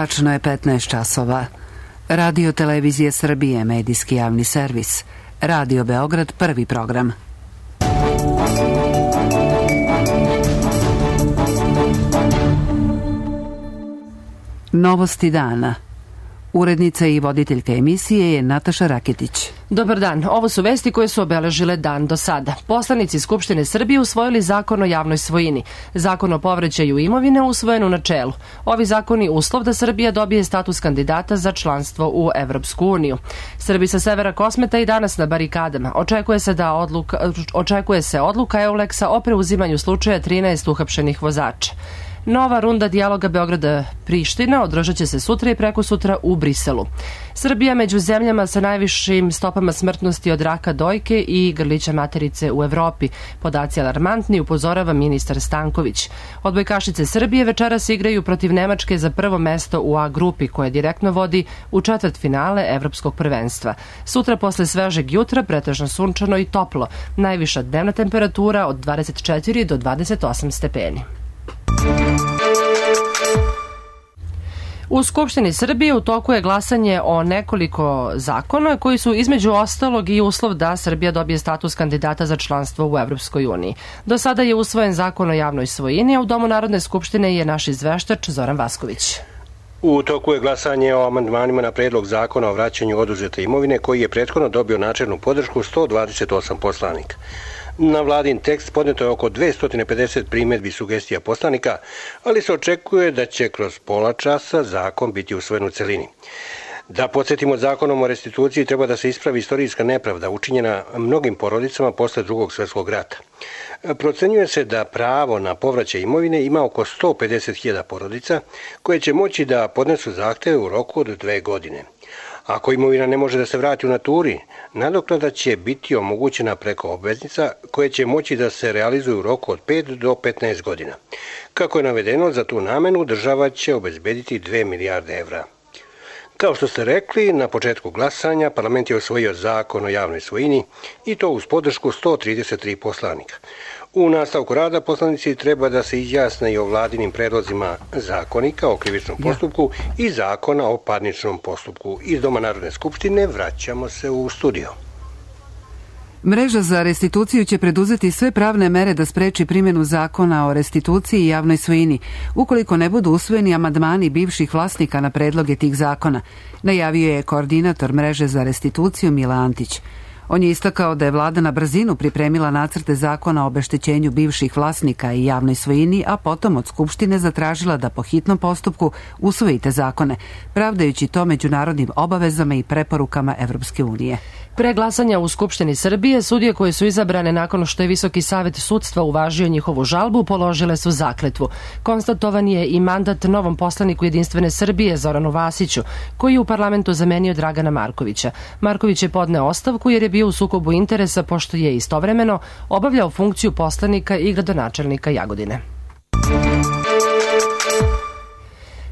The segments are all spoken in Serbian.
Tačno je 15 časova. Radio Televizije Srbije, medijski javni servis. Radio Beograd, prvi program. Novosti dana. Urednica i voditeljka emisije je Nataša Raketić. Dobar dan, ovo su vesti koje su obeležile dan do sada. Poslanici Skupštine Srbije usvojili zakon o javnoj svojini. Zakon o povraćaju imovine usvojen u načelu. Ovi zakoni uslov da Srbija dobije status kandidata za članstvo u Evropsku uniju. Srbi sa severa Kosmeta i danas na barikadama. Očekuje se odluka EULEX-a o preuzimanju slučaja 13 uhapšenih vozača. Nova runda dijaloga Beograda-Priština održat će se sutra i prekosutra u Briselu. Srbija među zemljama sa najvišim stopama smrtnosti od raka dojke i grlića materice u Evropi. Podaci alarmantni, upozorava ministar Stanković. Odbojkašice Srbije večeras igraju protiv Nemačke za prvo mesto u A grupi, koje direktno vodi u četvrtfinale Evropskog prvenstva. Sutra posle svežeg jutra pretežno sunčano i toplo. Najviša dnevna temperatura od 24 do 28 stepeni. U Skupštini Srbije u toku je glasanje o nekoliko zakona koji su između ostalog i uslov da Srbija dobije status kandidata za članstvo u Evropskoj uniji. Do sada je usvojen zakon o javnoj svojini, a u Domu Narodne skupštine je naš izveštač Zoran Vasković. U toku je glasanje o amandmanima na predlog zakona o vraćanju oduzete imovine koji je prethodno dobio načelnu podršku 128 poslanika. Na vladin tekst podneto je oko 250 primjedbi i sugestija poslanika, ali se očekuje da će kroz pola časa zakon biti usvojen u celini. Da podsjetimo, zakonom o restituciji treba da se ispravi istorijska nepravda učinjena mnogim porodicama posle Drugog svjetskog rata. Procenjuje se da pravo na povraćaj imovine ima oko 150.000 porodica koje će moći da podnesu zahteve u roku od 2 godine. Ako imovina ne može da se vrati u naturi, nadoknada će biti omogućena preko obveznica koje će moći da se realizuju u roku od 5 do 15 godina. Kako je navedeno, za tu namenu država će obezbediti 2 milijarde evra. Kao što ste rekli, na početku glasanja parlament je usvojio zakon o javnoj svojini i to uz podršku 133 poslanika. U nastavku rada poslanici treba da se izjasne i o vladinim predlozima zakonika o krivičnom postupku i zakona o parničnom postupku. Iz Doma Narodne skupštine vraćamo se u studio. Mreža za restituciju će preduzeti sve pravne mere da spreči primjenu zakona o restituciji i javnoj svojini, ukoliko ne budu usvojeni amandmani bivših vlasnika na predloge tih zakona, najavio je koordinator Mreže za restituciju Mila Antić. On je istakao da je vlada na brzinu pripremila nacrte zakona o obeštećenju bivših vlasnika i javnoj svojini, a potom od Skupštine zatražila da po hitnom postupku usvoji te zakone, pravdajući to međunarodnim obavezama i preporukama Evropske unije. Pre glasanja u Skupštini Srbije, sudije koje su izabrane nakon što je Visoki savet sudstva uvažio njihovu žalbu, položile su zakletvu. Konstatovan je i mandat novom poslaniku Jedinstvene Srbije, Zoranu Vasiću, koji je u parlamentu zamenio Dragana Markovića. Marković je podneo ostavku jer je bio u sukobu interesa, pošto je istovremeno obavljao funkciju poslanika i gradonačelnika Jagodine.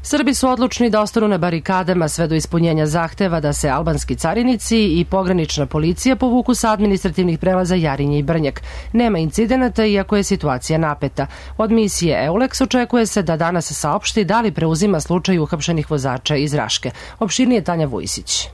Srbi su odlučni da ostanu na barikadama sve do ispunjenja zahteva da se albanski carinici i pogranična policija povuku sa administrativnih prelaza Jarinje i Brnjak. Nema incidenata, iako je situacija napeta. Od misije EULEX očekuje se da danas saopšti da li preuzima slučaj uhapšenih vozača iz Raške. Opširnije Tanja Vujsić.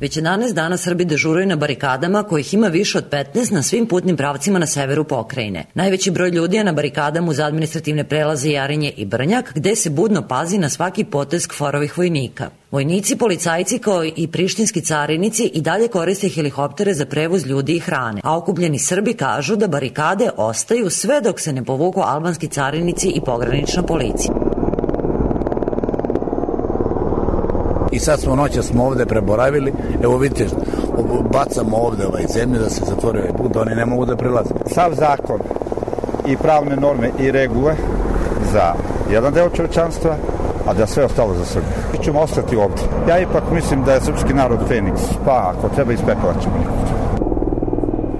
Već 11 dana Srbi dežuraju na barikadama, kojih ima više od 15 na svim putnim pravcima na severu pokrajine. Najveći broj ljudi je na barikadama uz administrativne prelaze Jarinje i Brnjak, gde se budno pazi na svaki potez KFOR-ovih vojnika. Vojnici, policajci kao i prištinski carinici i dalje koriste helikoptere za prevoz ljudi i hrane, a okupljeni Srbi kažu da barikade ostaju sve dok se ne povuku albanski carinici i pogranična policija. I sad smo ovde preboravili, evo vidite, bacamo ovde zemlju da se zatvori ovaj put, da oni ne mogu da prilaze. Sav zakon i pravne norme i regule za jedan deo čovečanstva, a da sve ostalo za Srbiju. Mi ćemo ostati ovde. Ja ipak mislim da je srpski narod Feniks, pa ako treba iz pepela ćemo.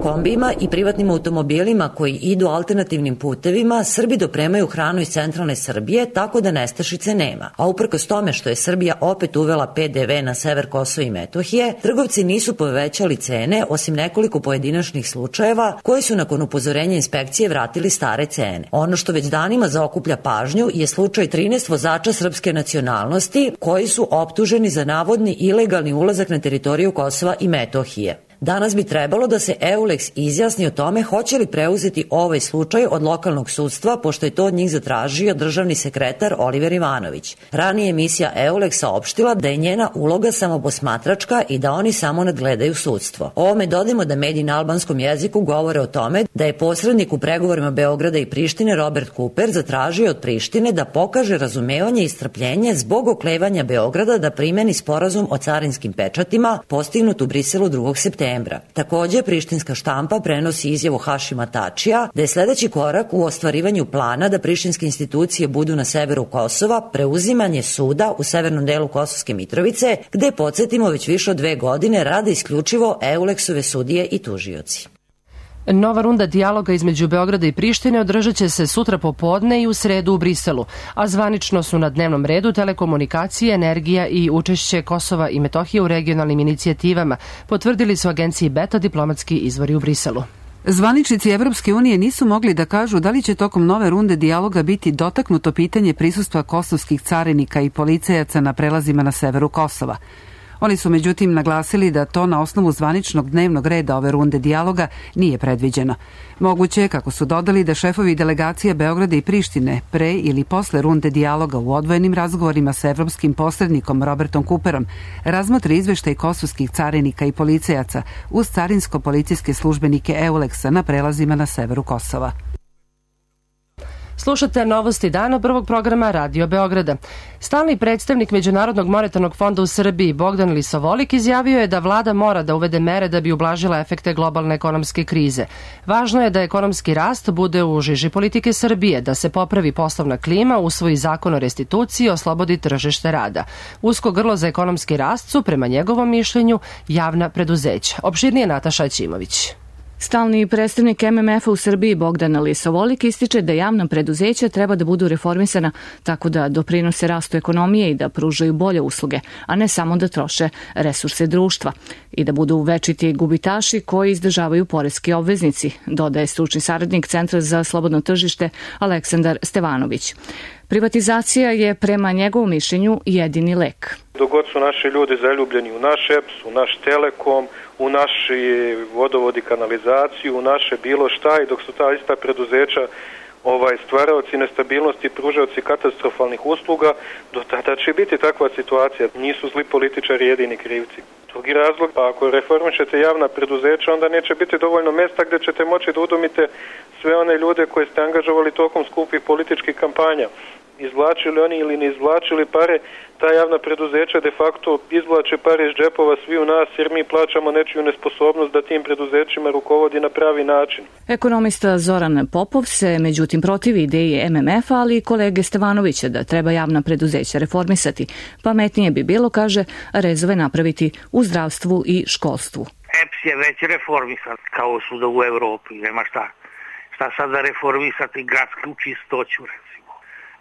kombijima i privatnim automobilima koji idu alternativnim putevima, Srbi dopremaju hranu iz centralne Srbije, tako da nestašice nema. A uprkos tome što je Srbija opet uvela PDV na sever Kosova i Metohije, trgovci nisu povećali cene, osim nekoliko pojedinačnih slučajeva koji su nakon upozorenja inspekcije vratili stare cene. Ono što već danima zaokuplja pažnju je slučaj 13 vozača srpske nacionalnosti koji su optuženi za navodni ilegalni ulazak na teritoriju Kosova i Metohije. Danas bi trebalo da se EULEX izjasni o tome hoće li preuzeti ovaj slučaj od lokalnog sudstva, pošto je to od njih zatražio državni sekretar Oliver Ivanović. Ranije emisija EULEX saopštila da je njena uloga samo posmatračka i da oni samo nadgledaju sudstvo. Ovome dodajmo da mediji na albanskom jeziku govore o tome da je posrednik u pregovorima Beograda i Prištine Robert Cooper zatražio od Prištine da pokaže razumevanje i strpljenje zbog oklevanja Beograda da primeni sporazum o carinskim pečatima postignut u Briselu 2. septembra. Takođe, prištinska štampa prenosi izjavu Hašima Tačija da je sledeći korak u ostvarivanju plana da prištinske institucije budu na severu Kosova preuzimanje suda u severnom delu Kosovske Mitrovice, gde, podsjetimo, već više od 2 godine rade isključivo EULEX-ove sudije i tužioci. Nova runda dijaloga između Beograda i Prištine održat će se sutra popodne i u sredu u Briselu, a zvanično su na dnevnom redu telekomunikacije, energija i učešće Kosova i Metohije u regionalnim inicijativama, potvrdili su agenciji Beta diplomatski izvori u Briselu. Zvaničnici Evropske unije nisu mogli da kažu da li će tokom nove runde dijaloga biti dotaknuto pitanje prisustva kosovskih carinika i policajaca na prelazima na severu Kosova. Oni su međutim naglasili da to na osnovu zvaničnog dnevnog reda ove runde dijaloga nije predviđeno. Moguće je, kako su dodali, da šefovi delegacije Beograda i Prištine pre ili posle runde dijaloga u odvojenim razgovorima sa evropskim posrednikom Robertom Cooperom razmotre izveštaj kosovskih carinika i policajaca uz carinsko-policijske službenike EULEX-a na prelazima na severu Kosova. Slušate novosti dana prvog programa Radio Beograda. Stalni predstavnik Međunarodnog monetarnog fonda u Srbiji Bogdan Lisovolik izjavio je da vlada mora da uvede mere da bi ublažila efekte globalne ekonomske krize. Važno je da ekonomski rast bude u žiži politike Srbije, da se popravi poslovna klima, usvoji zakon o restituciji i oslobodi tržište rada. Usko grlo za ekonomski rast su, prema njegovom mišljenju, javna preduzeća. Opširnije Nataša Ćimović. Stalni predstavnik MMF-a u Srbiji Bogdan Lisovolik ističe da javna preduzeća treba da budu reformisana tako da doprinose rastu ekonomije i da pružaju bolje usluge, a ne samo da troše resurse društva i da budu večiti gubitaši koji izdržavaju poreski obveznici, dodaje stručni saradnik Centra za slobodno tržište Aleksandar Stevanović. Privatizacija je prema njegovom mišljenju jedini lek. Dok god su naši ljudi zaljubljeni u naš EPS, u naš Telekom, u naši vodovod i kanalizaciju, u naše bilo šta, i dok su ta ista preduzeća stvaraoci nestabilnosti i pružaoci katastrofalnih usluga, do tada će biti takva situacija. Nisu zli političari jedini krivci. Drugi razlog, pa ako reformišete javna preduzeća, onda neće biti dovoljno mesta gde ćete moći da udomite sve one ljude koje ste angažovali tokom skupih političkih kampanja. Izvlačili oni ili ne izvlačili pare, ta javna preduzeća de facto izvlače pare iz džepova svi u nas, jer mi plaćamo nečiju nesposobnost da tim preduzećima rukovodi na pravi način. Ekonomista Zoran Popov se međutim protivi ideji MMF-a, ali i kolege Stevanovića da treba javna preduzeća reformisati. Pametnije bi bilo, kaže, rezove napraviti u zdravstvu i školstvu. EPS je već reformisan kao svuda u Evropi, nema šta. Šta sada reformisati gradsku čistoću,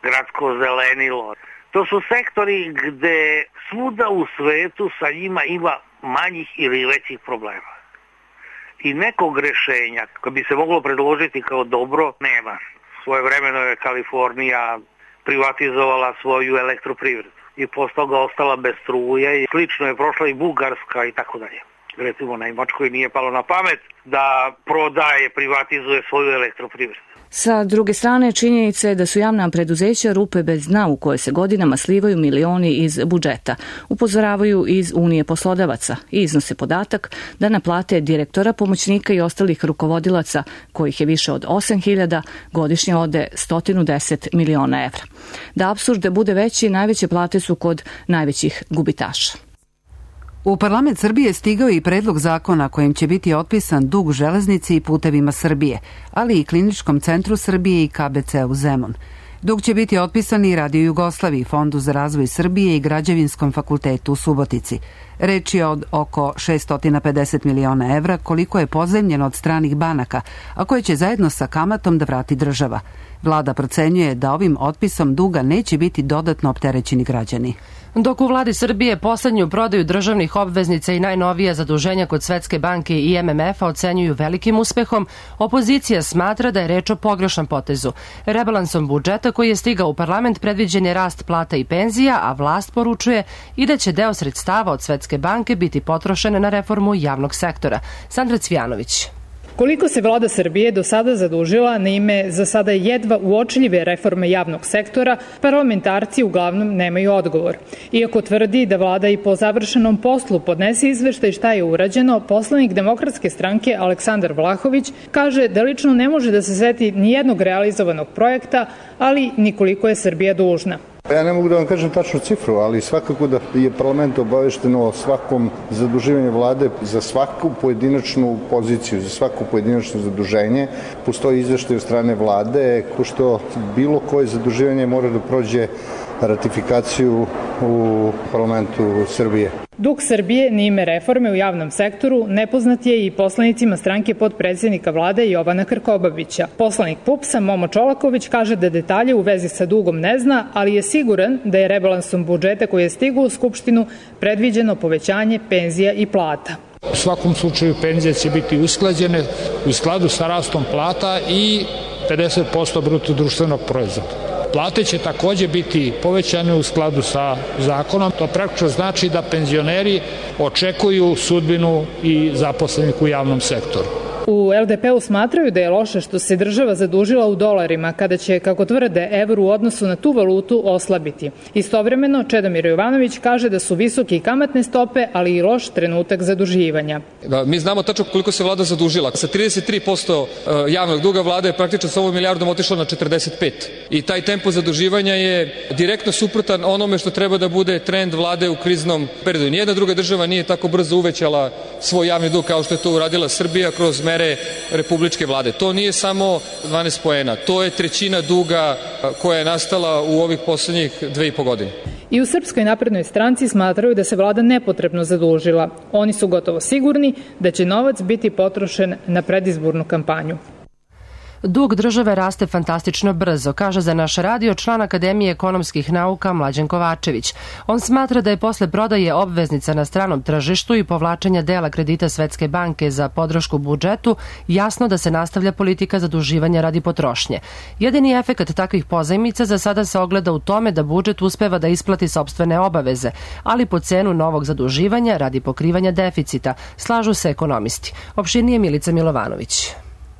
gradsko zelenilo. To su sektori gde svuda u svetu sa njima ima manjih ili većih problema. I nekog rešenja koje bi se moglo predložiti kao dobro nema. Svojevremeno je Kalifornija privatizovala svoju elektroprivredu i posle toga ostala bez struje i slično je prošla i Bugarska i tako dalje. Recimo, Nemačkoj nije palo na pamet da prodaje, privatizuje svoju elektroprivredu. Sa druge strane, činjenica je da su javna preduzeća rupe bez dna u koje se godinama slivaju milioni iz budžeta. Upozoravaju iz Unije poslodavaca i iznose podatak da na plate direktora, pomoćnika i ostalih rukovodilaca, kojih je više od 8.000, godišnje ode 110 miliona evra. Da apsurd bude veći, najveće plate su kod najvećih gubitaša. U parlament Srbije stigao je i predlog zakona kojim će biti otpisan dug železnici i putevima Srbije, ali i Kliničkom centru Srbije i KBC u Zemun. Dug će biti otpisan i Radio Jugoslaviji, Fondu za razvoj Srbije i Građevinskom fakultetu u Subotici. Reč je od oko 650 miliona evra koliko je pozajmljeno od stranih banaka, a koje će zajedno sa kamatom da vrati država. Vlada procenjuje da ovim otpisom duga neće biti dodatno opterećeni građani. Dok u vladi Srbije poslednju prodaju državnih obveznica i najnovija zaduženja kod Svetske banke i MMF-a ocenjuju velikim uspehom, opozicija smatra da je reč o pogrešnom potezu. Rebalansom budžeta koji je stigao u parlament predviđen je rast plata i penzija, a vlast poručuje i da će deo sredstava od Svetske banke biti potrošen na reformu javnog sektora. Sandra Cvijanović. Koliko se vlada Srbije do sada zadužila na ime za sada jedva uočljive reforme javnog sektora, parlamentarci uglavnom nemaju odgovor. Iako tvrdi da vlada i po završenom poslu podnese izveštaj šta je urađeno, poslanik Demokratske stranke Aleksandar Vlahović kaže da lično ne može da se seti ni jednog realizovanog projekta, ali ni koliko je Srbija dužna. Ja ne mogu da vam kažem tačnu cifru, ali svakako da je parlament obavešteno o svakom zaduživanju vlade za svaku pojedinačnu poziciju, za svako pojedinačno zaduženje. Postoji izveštaj od strane vlade, ko što bilo koje zaduživanje mora da prođe ratifikaciju u parlamentu Srbije. Dug Srbije na ime reforme u javnom sektoru nepoznat je i poslanicima stranke potpredsednika vlade Jovana Krkobabića. Poslanik PUPS-a Momo Čolaković kaže da detalje u vezi sa dugom ne zna, ali je siguran da je rebalansom budžeta koji je stigao u Skupštinu predviđeno povećanje penzija i plata. U svakom slučaju penzije će biti usklađene u skladu sa rastom plata i 50% bruto društvenog proizvoda. Plate će takođe biti povećane u skladu sa zakonom. To praktično znači da penzioneri očekuju sudbinu i zaposlenih u javnom sektoru. U LDP-u smatraju da je loše što se država zadužila u dolarima, kada će, kako tvrde, evro u odnosu na tu valutu oslabiti. Istovremeno, Čedomir Jovanović kaže da su visoke i kamatne stope, ali i loš trenutak zaduživanja. Mi znamo tačno koliko se vlada zadužila. Sa 33% javnog duga vlada je praktično sa ovom milijardom otišla na 45%. I taj tempo zaduživanja je direktno suprotan onome što treba da bude trend vlade u kriznom periodu. Nijedna druga država nije tako brzo uvećala svoj javni dug kao što je to uradila Srbija kroz mere republičke vlade. To nije samo 12 poena, to je trećina duga koja je nastala u ovih poslednjih 2,5 godine. I u Srpskoj naprednoj stranci smatraju da se vlada nepotrebno zadužila. Oni su gotovo sigurni da će novac biti potrošen na predizbornu kampanju. Dug države raste fantastično brzo, kaže za naš radio član Akademije ekonomskih nauka Mlađan Kovačević. On smatra da je posle prodaje obveznica na stranom tržištu i povlačenja dela kredita Svetske banke za podršku budžetu jasno da se nastavlja politika zaduživanja radi potrošnje. Jedini efekat takvih pozajmica za sada se ogleda u tome da budžet uspeva da isplati sopstvene obaveze, ali po cenu novog zaduživanja radi pokrivanja deficita, slažu se ekonomisti. Opširnije Milica Milovanović.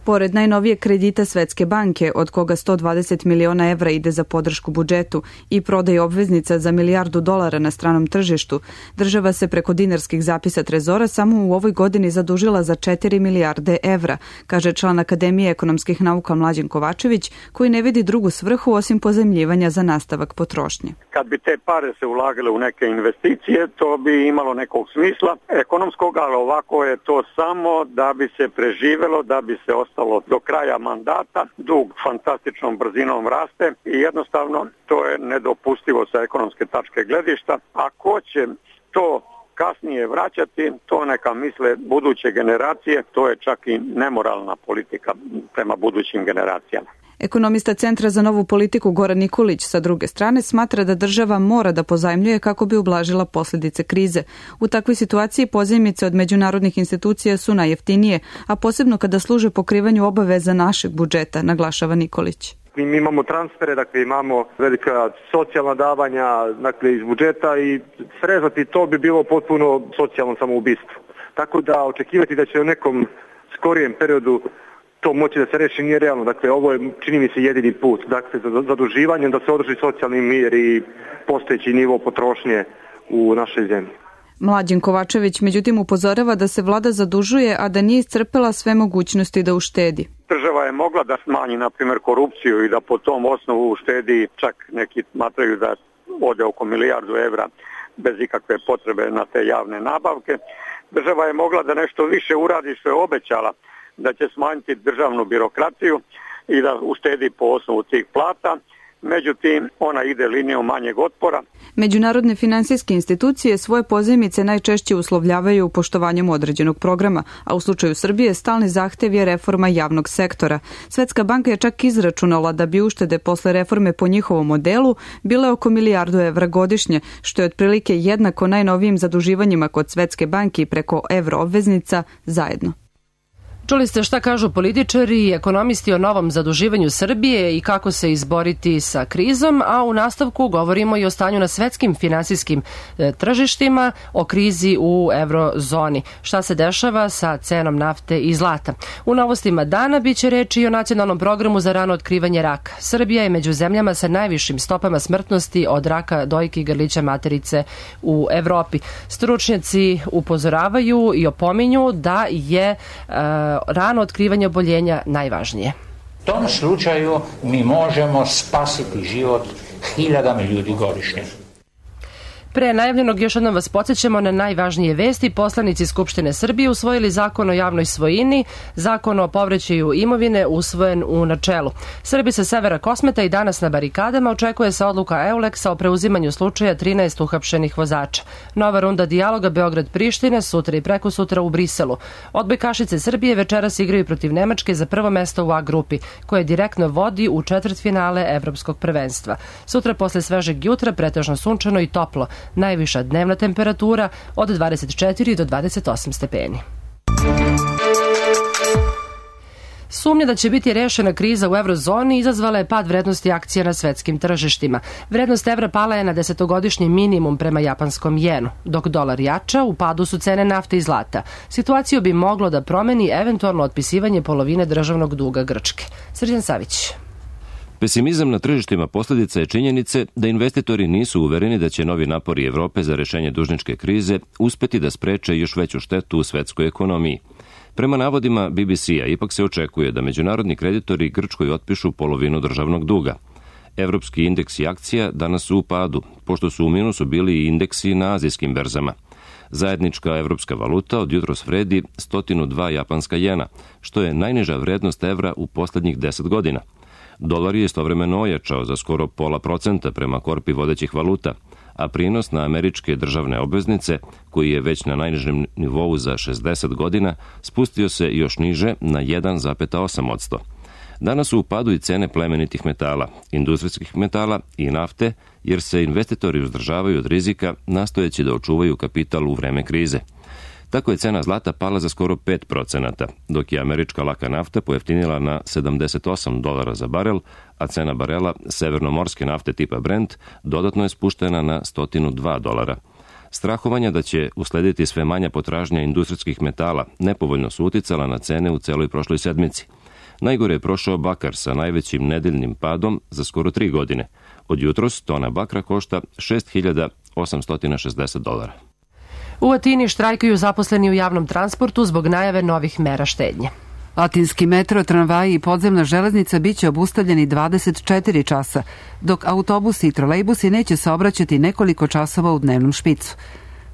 Pored najnovijeg kredita Svetske banke, od koga 120 miliona evra ide za podršku budžetu i prodaje obveznica za $1 milijardu na stranom tržištu, država se preko dinarskih zapisa Trezora samo u ovoj godini zadužila za 4 milijarde evra, kaže član Akademije ekonomskih nauka Mlađan Kovačević, koji ne vidi drugu svrhu osim pozajmljivanja za nastavak potrošnje. Kad bi te pare se ulagale u neke investicije, to bi imalo nekog smisla ekonomskog, ali ovako je to samo da bi se preživelo, da bi se ostalo do kraja mandata, dug fantastičnom brzinom raste i jednostavno to je nedopustivo sa ekonomske tačke gledišta. A ko će to kasnije vraćati, to neka misle buduće generacije, to je čak i nemoralna politika prema budućim generacijama. Ekonomista Centra za novu politiku Goran Nikolić sa druge strane smatra da država mora da pozajmljuje kako bi ublažila posljedice krize. U takvoj situaciji pozajmice od međunarodnih institucija su najjeftinije, a posebno kada služe pokrivanju obaveza našeg budžeta, naglašava Nikolić. Mi imamo transfere, dakle imamo velika socijalna davanja, dakle iz budžeta i srezati to bi bilo potpuno socijalno samoubistvo. Tako da očekivati da će u nekom skorijem periodu to moći da se reši nije realno. Dakle, ovo je, čini mi se, jedini put. Dakle, za zaduživanje da se održi socijalni mir i postojeći nivo potrošnje u našoj zemlji. Mlađan Kovačević međutim upozorava da se vlada zadužuje, a da nije iscrpela sve mogućnosti da uštedi. Država je mogla da smanji, na primjer, korupciju i da po tom osnovu uštedi, čak neki smatraju da ode oko $1 milijardu bez ikakve potrebe na te javne nabavke. Država je mogla da nešto više uradi što je obećala, da će smanjiti državnu birokraciju i da uštedi po osnovu tih plata međutim ona ide linijom manjeg otpora. Međunarodne finansijske institucije svoje pozajmice najčešće uslovljavaju poštovanjem određenog programa, a u slučaju Srbije stalni zahtev je reforma javnog sektora. Svetska banka je čak izračunala da bi uštede posle reforme po njihovom modelu bile oko milijardu evra godišnje, što je otprilike jednako najnovijim zaduživanjima kod Svetske banke preko evroobveznica zajedno. Čuli ste šta kažu političari i ekonomisti o novom zaduživanju Srbije i kako se izboriti sa krizom, a u nastavku govorimo i o stanju na svetskim finansijskim tržištima, o krizi u eurozoni. Šta se dešava sa cenom nafte i zlata? U novostima dana biće reči i o nacionalnom programu za rano otkrivanje raka. Srbija je među zemljama sa najvišim stopama smrtnosti od raka dojke i grlića materice u Evropi. Stručnjaci upozoravaju i opominju da je rano otkrivanje oboljenja najvažnije. U tom slučaju mi možemo spasiti život hiljadama ljudi godišnje. Pre najavljenog još jednom vas podsjećamo na najvažnije vesti. Poslanici Skupštine Srbije usvojili zakon o javnoj svojini, zakon o povraćaju imovine usvojen u načelu. Srbi sa severa Kosmeta i danas na barikadama očekuje se odluka EULEX-a o preuzimanju slučaja 13 uhapšenih vozača. Nova runda dijaloga Beograd-Priština sutra i prekosutra u Briselu. Odbojkašice Srbije večeras igraju protiv Nemačke za prvo mesto u A grupi, koje direktno vodi u četvrtfinale evropskog prvenstva. Sutra posle svežeg jutra pretežno sunčano i toplo. Najviša dnevna temperatura od 24 do 28 stepeni. Sumnja da će biti rešena kriza u eurozoni izazvala je pad vrednosti akcija na svetskim tržištima. Vrednost evra pala je na 10-godišnji minimum prema japanskom jenu. Dok dolar jača, u padu su cene nafte i zlata. Situaciju bi moglo da promeni eventualno otpisivanje polovine državnog duga Grčke. Srđan Savić. Pesimizam na tržištima posljedica je činjenice da investitori nisu uvereni da će novi napori Evrope za rešenje dužničke krize uspeti da spreče još veću štetu u svetskoj ekonomiji. Prema navodima BBC-a ipak se očekuje da međunarodni kreditori Grčkoj otpišu polovinu državnog duga. Evropski indeksi akcija danas su u padu, pošto su u minusu bili i indeksi na azijskim berzama. Zajednička evropska valuta od jutros vredi 102 japanska jena, što je najniža vrednost evra u poslednjih 10 godina. Dolar je istovremeno ojačao za skoro 0,5% prema korpi vodećih valuta, a prinos na američke državne obveznice, koji je već na najnižem nivou za 60 godina, spustio se još niže na 1,8%. Danas su u padu i cene plemenitih metala, industrijskih metala i nafte, jer se investitori uzdržavaju od rizika nastojeći da očuvaju kapital u vreme krize. Tako je cena zlata pala za skoro 5%, dok je američka laka nafta pojeftinila na $78 za barel, a cena barela severnomorske nafte tipa Brent dodatno je spuštena na $102. Strahovanja da će uslediti sve manja potražnja industrijskih metala nepovoljno su uticala na cene u celoj prošloj sedmici. Najgore je prošao bakar sa najvećim nedeljnim padom za skoro 3 godine. Od jutros tona bakra košta $6.860. U Atini štrajkuju zaposleni u javnom transportu zbog najave novih mera štednje. Atinski metro, tramvaji i podzemna železnica biće obustavljeni 24 časa, dok autobusi i trolejbusi neće saobraćati nekoliko časova u dnevnom špicu.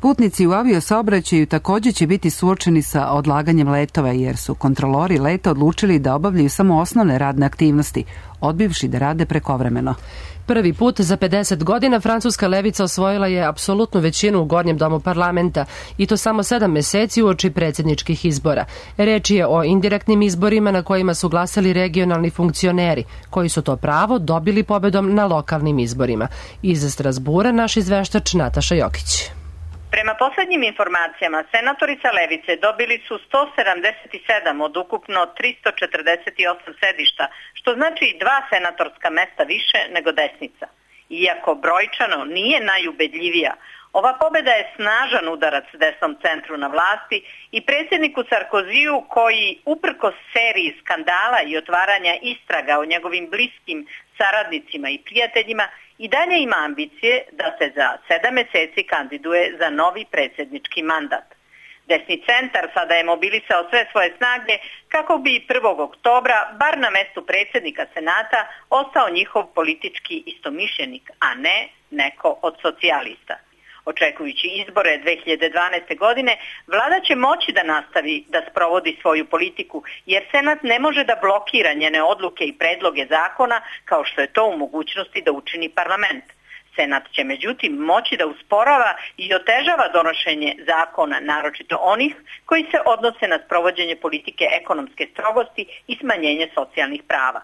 Putnici u aviosaobraćaju također će biti suočeni sa odlaganjem letova, jer su kontrolori leta odlučili da obavljaju samo osnovne radne aktivnosti, odbivši da rade prekovremeno. Prvi put za 50 godina francuska levica osvojila je apsolutnu većinu u Gornjem domu parlamenta i to samo 7 meseci uoči predsjedničkih izbora. Reč je o indirektnim izborima na kojima su glasali regionalni funkcioneri, koji su to pravo dobili pobedom na lokalnim izborima. Iz Strasbura naš izveštač Nataša Jokić. Prema poslednjim informacijama, senatori sa levice dobili su 177 od ukupno 348 sedišta, što znači 2 senatorska mesta više nego desnica. Iako brojčano nije najubedljivija, ova pobeda je snažan udarac desnom centru na vlasti i predsjedniku Sarkoziju koji, uprkos seriji skandala i otvaranja istraga o njegovim bliskim saradnicima i prijateljima, i dalje ima ambicije da se za 7 meseci kandiduje za novi predsjednički mandat. Desni centar sada je mobilisao sve svoje snage kako bi 1. oktobra, bar na mestu predsjednika Senata, ostao njihov politički istomišljenik, a ne neko od socijalista. Očekujući izbore 2012. godine, vlada će moći da nastavi da sprovodi svoju politiku, jer Senat ne može da blokira njene odluke i predloge zakona kao što je to u mogućnosti da učini parlament. Senat će međutim moći da usporava i otežava donošenje zakona, naročito onih koji se odnose na sprovođenje politike ekonomske strogosti i smanjenje socijalnih prava.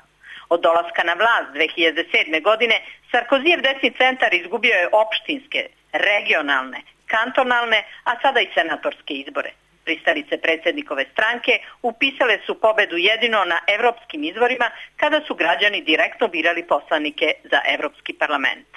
Od dolaska na vlast 2007. godine Sarkozijev desni centar izgubio je opštinske, regionalne, kantonalne, a sada i senatorske izbore. Pristalice predsjednikove stranke upisale su pobedu jedino na evropskim izborima kada su građani direktno birali poslanike za Evropski parlament.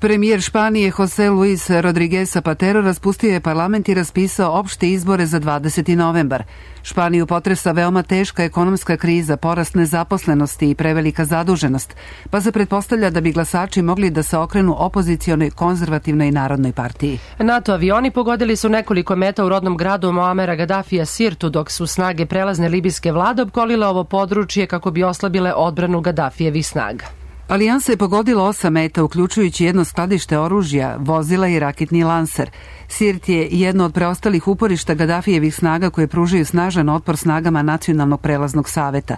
Premijer Španije José Luis Rodríguez Zapatero raspustio je parlament i raspisao opšte izbore za 20. novembar. Španiju potresa veoma teška ekonomska kriza, porast nezaposlenosti i prevelika zaduženost, pa se pretpostavlja da bi glasači mogli da se okrenu opozicionoj konzervativnoj narodnoj partiji. NATO avioni pogodili su nekoliko meta u rodnom gradu Moamera Gaddafija Sirtu, dok su snage prelazne libijske vlade opkolile ovo područje kako bi oslabile odbranu Gaddafijevih snaga. Alijansa je pogodila 8 meta, uključujući jedno skladište oružja, vozila i raketni lanser. Sirt je jedno od preostalih uporišta Gaddafijevih snaga koje pružaju snažan otpor snagama Nacionalnog prelaznog saveta.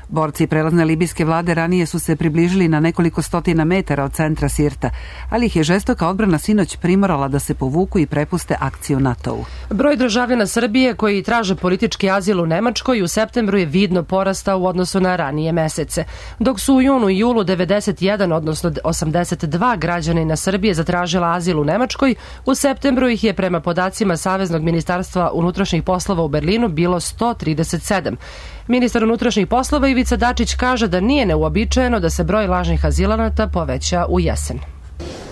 Borci prelazne libijske vlade ranije su se približili na nekoliko stotina metara od centra Sirta, ali ih je žestoka odbrana sinoć primorala da se povuku i prepuste akciju NATO-u. Broj državljana Srbije koji traže politički azil u Nemačkoj u septembru je vidno porastao u odnosu na ranije mesece. Dok su u junu i julu 91, odnosno 82 građanina Srbije zatražila azil u Nemačkoj, u septembru ih je prema podacima Saveznog ministarstva unutrašnjih poslova u Berlinu bilo 137. Ministar unutrašnjih poslova Ivica Dačić kaže da nije neuobičajeno da se broj lažnih azilanata poveća u jesen.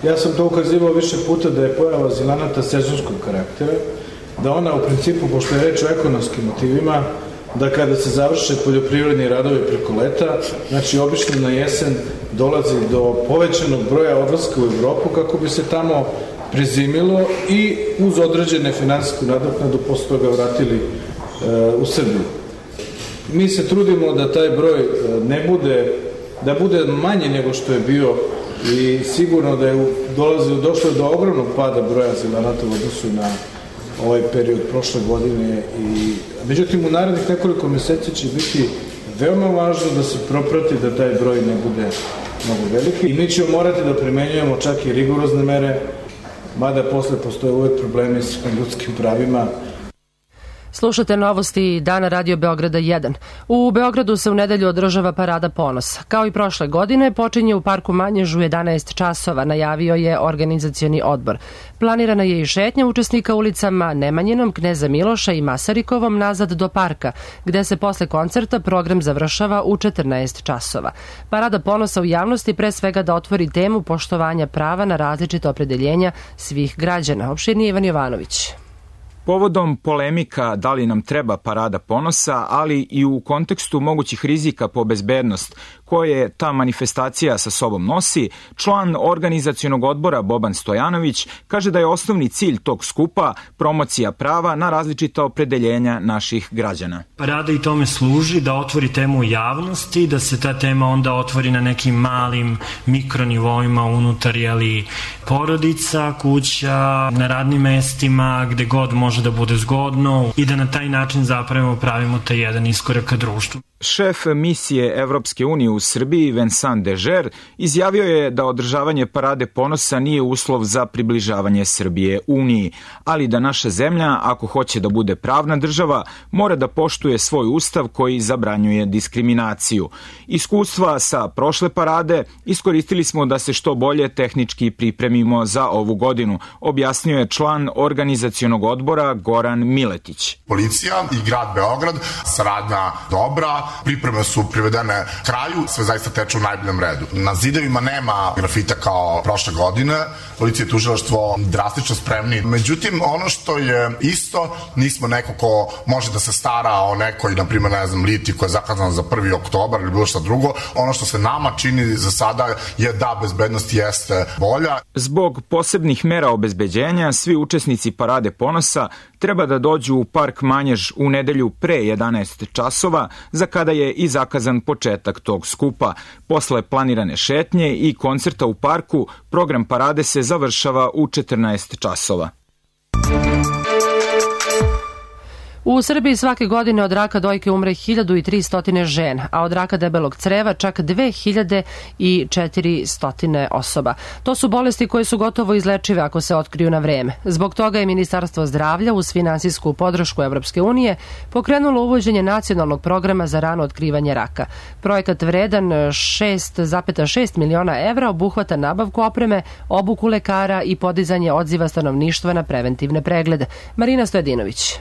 Ja sam to ukazivao više puta da je pojava azilanata sezonskog karaktera, da ona u principu, pošto je reč o ekonomskim motivima, da kada se završe poljoprivredni radovi preko leta, znači obično na jesen dolazi do povećanog broja odlaska u Evropu kako bi se tamo prezimilo i uz određene finansijsku nadoknadu posle toga vratili u Srbiju. Mi se trudimo da taj broj da bude manje nego što je bio i sigurno da je došlo do ogromnog pada broja azilanata u odnosu na ovaj period prošle godine. Međutim, u narednih nekoliko meseci će biti veoma važno da se proprati da taj broj ne bude mnogo veliki i mi ćemo morati da primenjujemo čak i rigorozne mere, mada posle postoje uvek problemi sa ljudskim pravima. Slušate novosti Dana Radio Beograda 1. U Beogradu se u nedelju održava Parada ponosa. Kao i prošle godine, počinje u Parku Manježu 11 časova, najavio je organizacioni odbor. Planirana je i šetnja učesnika ulicama Nemanjinom, Kneza Miloša i Masarikovom nazad do parka, gde se posle koncerta program završava u 14 časova. Parada ponosa u javnosti pre svega da otvori temu poštovanja prava na različite opredeljenja svih građana. Opširnije Ivan Jovanović. Povodom polemika da li nam treba Parada ponosa, ali i u kontekstu mogućih rizika po bezbednost koje ta manifestacija sa sobom nosi, član organizacionog odbora Boban Stojanović kaže da je osnovni cilj tog skupa promocija prava na različita opredeljenja naših građana. Parada i tome služi da otvori temu u javnosti, da se ta tema onda otvori na nekim malim mikronivoima unutar porodica, kuća, na radnim mestima, gde god može da bude zgodno i da na taj način zapravo pravimo taj jedan iskorak ka društvu. Šef misije Evropske unije u Srbiji, Vincent Dežer, izjavio je da održavanje Parade ponosa nije uslov za približavanje Srbije Uniji, ali da naša zemlja, ako hoće da bude pravna država, mora da poštuje svoj ustav koji zabranjuje diskriminaciju. Iskustva sa prošle parade iskoristili smo da se što bolje tehnički pripremimo za ovu godinu, objasnio je član organizacionog odbora Goran Miletić. Policija i grad Beograd, saradnja dobra, pripreme su privedene kraju, sve zaista teče u najboljem redu. Na zidovima nema grafita kao prošle godine, policija i tužilaštvo drastično spremni. Međutim, ono što je isto, nismo neko ko može da se stara o nekoj, na primjer, liti koja je zakazana za 1. oktobar ili bilo što drugo. Ono što se nama čini za sada je da bezbednost jeste bolja. Zbog posebnih mera obezbeđenja, svi učesnici Parade ponosa treba da dođu u park Manjež u nedelju pre 11 časova, za kada je i zakazan početak tog skupa. Posle planirane šetnje i koncerta u parku, program parade se završava u 14 časova. U Srbiji svake godine od raka dojke umre 1300 žena, a od raka debelog creva čak 2400 osoba. To su bolesti koje su gotovo izlečive ako se otkriju na vreme. Zbog toga je Ministarstvo zdravlja uz finansijsku podršku Evropske unije pokrenulo uvođenje nacionalnog programa za rano otkrivanje raka. Projekat vredan 6,6 miliona evra obuhvata nabavku opreme, obuku lekara i podizanje odziva stanovništva na preventivne preglede. Marina Stojadinović.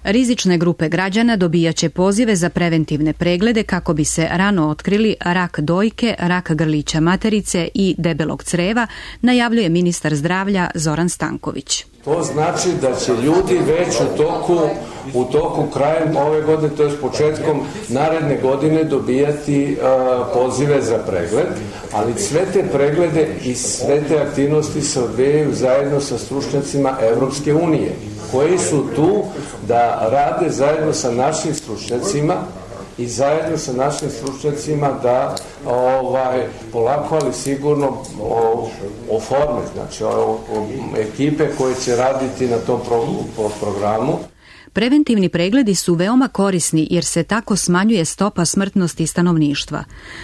Rizične grupe građana dobijaće pozive za preventivne preglede kako bi se rano otkrili rak dojke, rak grlića materice i debelog creva, najavljuje ministar zdravlja Zoran Stanković. To znači da će ljudi već u toku krajem ove godine, to je početkom naredne godine, dobijati pozive za pregled, ali sve te preglede i sve te aktivnosti se odvijaju zajedno sa stručnjacima Evropske unije, koji su tu da rade zajedno sa našim stručnjacima i zajedno sa našim stručnjacima da polako, ali sigurno oforme, znači ekipe koje će raditi na tom programu. Preventivni pregledi su veoma korisni jer se tako smanjuje stopa smrtnosti stanovništva.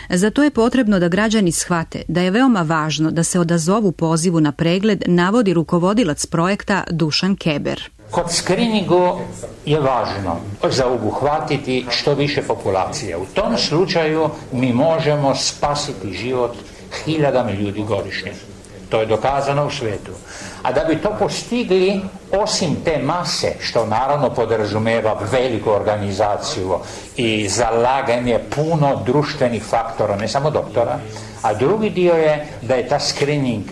Zato je potrebno da građani shvate da je veoma važno da se odazovu pozivu na pregled, navodi rukovodilac projekta Dušan Keber. Kod skriningu je važno zaobuhvatiti što više populacije. U tom slučaju mi možemo spasiti život hiljadama ljudi godišnje. To je dokazano u svetu. A da bi to postigli, osim te mase, što naravno podrazumeva veliku organizaciju i zalaganje puno društvenih faktora, ne samo doktora, a drugi dio je da je ta screening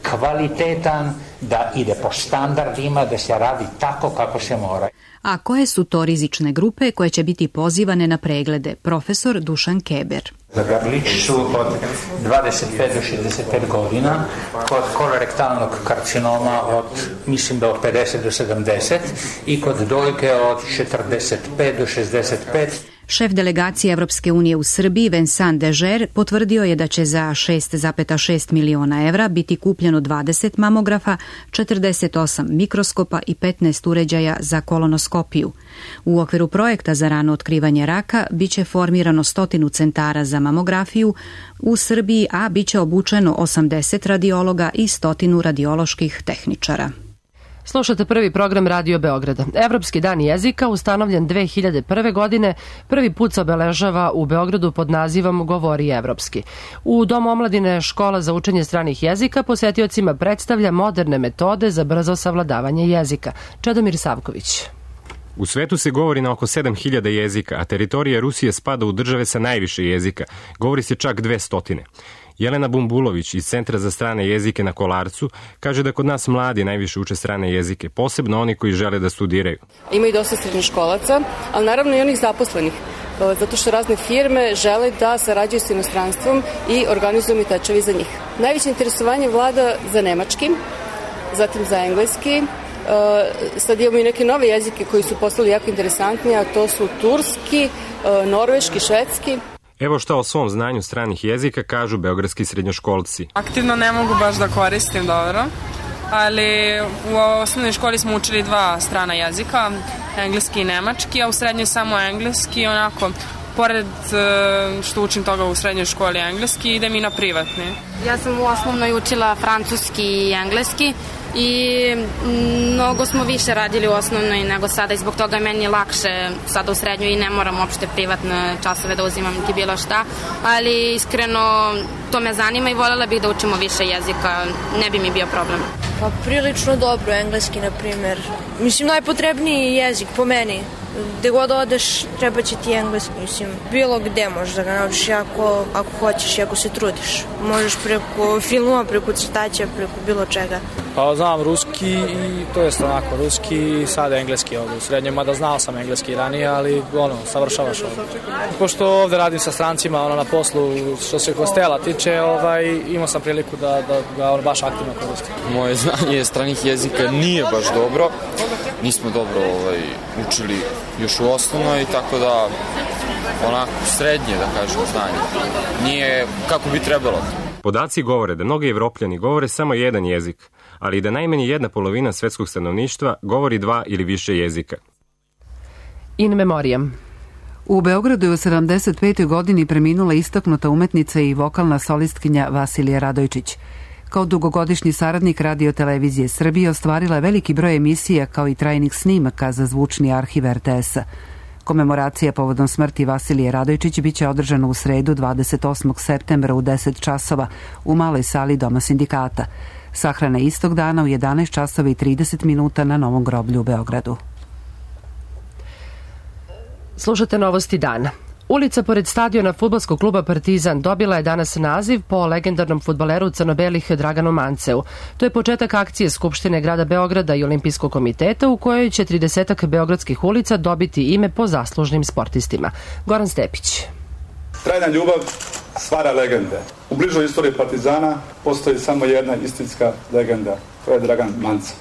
kvalitetan, da ide po standardima, da se radi tako kako se mora. A koje su to rizične grupe koje će biti pozivane na preglede? Profesor Dušan Keber. Za grlić su od 25 do 65 godina, kod kolorektalnog karcinoma mislim da od 50 do 70 i kod dojke od 45 do 65. Šef delegacije Evropske unije u Srbiji, Vincent Dežer, potvrdio je da će za 6,6 miliona evra biti kupljeno 20 mamografa, 48 mikroskopa i 15 uređaja za kolonoskopiju. U okviru projekta za rano otkrivanje raka biće formirano 100 centara za mamografiju u Srbiji, a biće obučeno 80 radiologa i 100 radioloških tehničara. Slušate prvi program Radio Beograda. Evropski dan jezika, ustanovljen 2001. godine, prvi put se obeležava u Beogradu pod nazivom Govori evropski. U Domu omladine Škola za učenje stranih jezika posetiocima predstavlja moderne metode za brzo savladavanje jezika. Čedomir Savković. U svetu se govori na oko 7000 jezika, a teritorija Rusije spada u države sa najviše jezika. Govori se čak 200. Jelena Bumbulović iz Centra za strane jezike na Kolarcu kaže da kod nas mladi najviše uče strane jezike, posebno oni koji žele da studiraju. Ima i dosta srednjoškolaca, ali naravno i onih zaposlenih, zato što razne firme žele da sarađuju s inostranstvom i organizuju mi tečevi za njih. Najveće interesovanje vlada za nemački, zatim za engleski. Sad imamo i neke nove jezike koji su postali jako interesantni, a to su turski, norveški, švedski. Evo šta o svom znanju stranih jezika kažu beogradski srednjoškolci. Aktivno ne mogu baš da koristim dobro, ali u osnovnoj školi smo učili 2 strana jezika, engleski i nemački, a u srednjoj samo engleski, onako, pored što učim toga u srednjoj školi engleski, idem i na privatni. Ja sam u osnovnoj učila francuski i engleski i mnogo smo više radili u osnovnoj nego sada i zbog toga je meni lakše sada u srednjoj i ne moram uopšte privatne časove da uzimam niti bilo šta, ali iskreno to me zanima i voljela bih da učimo više jezika, ne bi mi bio problem. Pa prilično dobro, engleski na primer. Mislim, najpotrebniji jezik po meni. Gde god odeš, treba će ti engleski, mislim, bilo gde možeš da ga naučiš ako hoćeš i ako se trudiš. Možeš preko filmova, preko crtaća, preko bilo čega. Pa znam ruski ruski i to jest onako ruski i sad engleski ovde u srednjem, mada znao sam engleski ranije, ali savršavaš ovde. Pošto ovde radim sa strancima na poslu, što se hostela tiče, imao sam priliku da ga baš aktivno koristim. Moje znanje stranih jezika nije baš dobro, nismo dobro učili još u osnovnoj, tako da onako srednje, da kažem, znanje. Nije kako bi trebalo. Podaci govore da mnogi Evropljani govore samo jedan jezik, ali i da najmanje 1/2 svetskog stanovništva govori 2 ili više jezika. In memoriam. U Beogradu je u 75. godini preminula istaknuta umetnica i vokalna solistkinja Vasilija Radojčić. Kao dugogodišnji saradnik Radio-televizije Srbije ostvarila je veliki broj emisija kao i trajnih snimaka za zvučni arhiv RTS-a. Komemoracija povodom smrti Vasilije Radojčić biće održana u sredu 28. septembra u 10 časova u maloj sali Doma sindikata. Sahrana istog dana u 11 časova i 30 minuta na Novom groblju u Beogradu. Slušate novosti dana. Ulica pored stadiona fudbalskog kluba Partizan dobila je danas naziv po legendarnom fudbaleru crno-belih Draganu Manceu. To je početak akcije Skupštine grada Beograda i Olimpijskog komiteta u kojoj će 30 beogradskih ulica dobiti ime po zaslužnim sportistima. Goran Stepić. Trajna ljubav stvara legende. U bližoj istoriji Partizana postoji samo jedna istinska legenda. To je Dragan Manceu.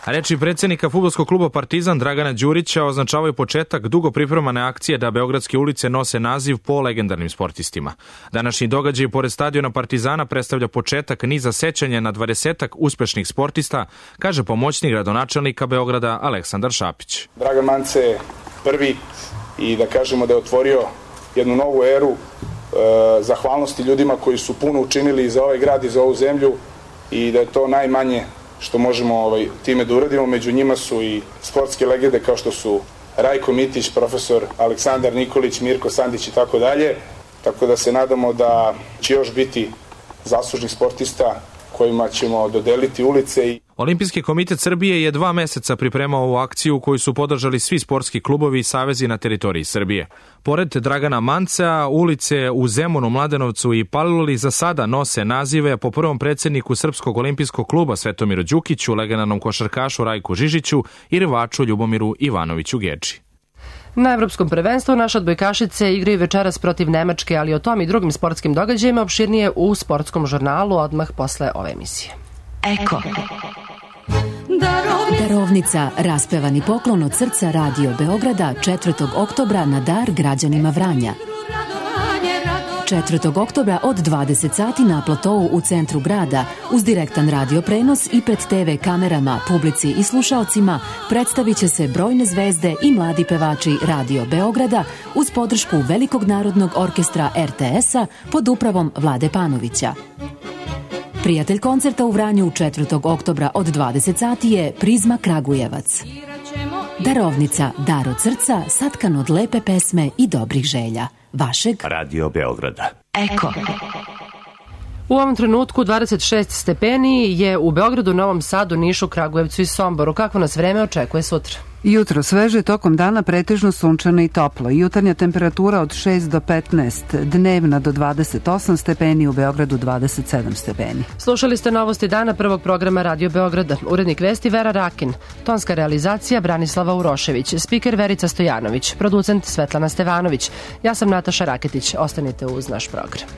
Reči predsjednika fudbalskog kluba Partizan Dragana Đurića označavaju početak dugo pripremane akcije da beogradske ulice nose naziv po legendarnim sportistima. Današnji događaj pored stadiona Partizana predstavlja početak niza sećanja na 20 uspešnih sportista, kaže pomoćnik gradonačelnika Beograda Aleksandar Šapić. Dragan Manceu je prvi i da kažemo da je otvorio jednu novu eru zahvalnosti ljudima koji su puno učinili za ovaj grad i za ovu zemlju i da je to najmanje što možemo time da uradimo. Među njima su i sportske legende kao što su Rajko Mitić, profesor Aleksandar Nikolić, Mirko Sandić i tako dalje. Tako da se nadamo da će još biti zaslužnih sportista kojima ćemo dodeliti ulice. Olimpijski komitet Srbije je 2 meseca pripremao ovu akciju koju su podržali svi sportski klubovi i savezi na teritoriji Srbije. Pored Dragana Mancea, ulice u Zemunu, Mladenovcu i Paliluli za sada nose nazive po prvom predsjedniku Srpskog olimpijskog kluba Svetomiru Đukiću, legendarnom košarkašu Rajku Žižiću i rvaču Ljubomiru Ivanoviću Gedži. Na Evropskom prvenstvu naše odbojkašice igraju večeras protiv Nemačke, ali o tom i drugim sportskim događajima opširnije u sportskom žurnalu odmah posle ove emisije. Eko. Darovnica, raspevani poklon od srca Radio Beograda 4. oktobra na dar građanima Vranja. 4. oktobra od 20 sati na platovu u centru grada uz direktan radio prenos i pred TV kamerama, publici i slušaocima predstavit će se brojne zvezde i mladi pevači Radio Beograda uz podršku Velikog narodnog orkestra RTS-a pod upravom Vlade Panovića. Prijatelj koncerta u Vranju 4. oktobra od 20 sati je Prizma Kragujevac. Darovnica, dar od srca, satkan od lepe pesme i dobrih želja. Vašeg Radio Beograda. Eko. U ovom trenutku 26 stepeni je u Beogradu, Novom Sadu, Nišu, Kragujevcu i Somboru. Kakvo nas vreme očekuje sutra? Jutro sveže, tokom dana pretežno sunčano i toplo. Jutarnja temperatura od 6 do 15, dnevna do 28 stepeni, u Beogradu 27 stepeni. Slušali ste novosti dana prvog programa Radio Beograda. Urednik vesti Vera Rakin, tonska realizacija Branislava Urošević, spiker Verica Stojanović, producent Svetlana Stevanović. Ja sam Nataša Raketić. Ostanite uz naš program.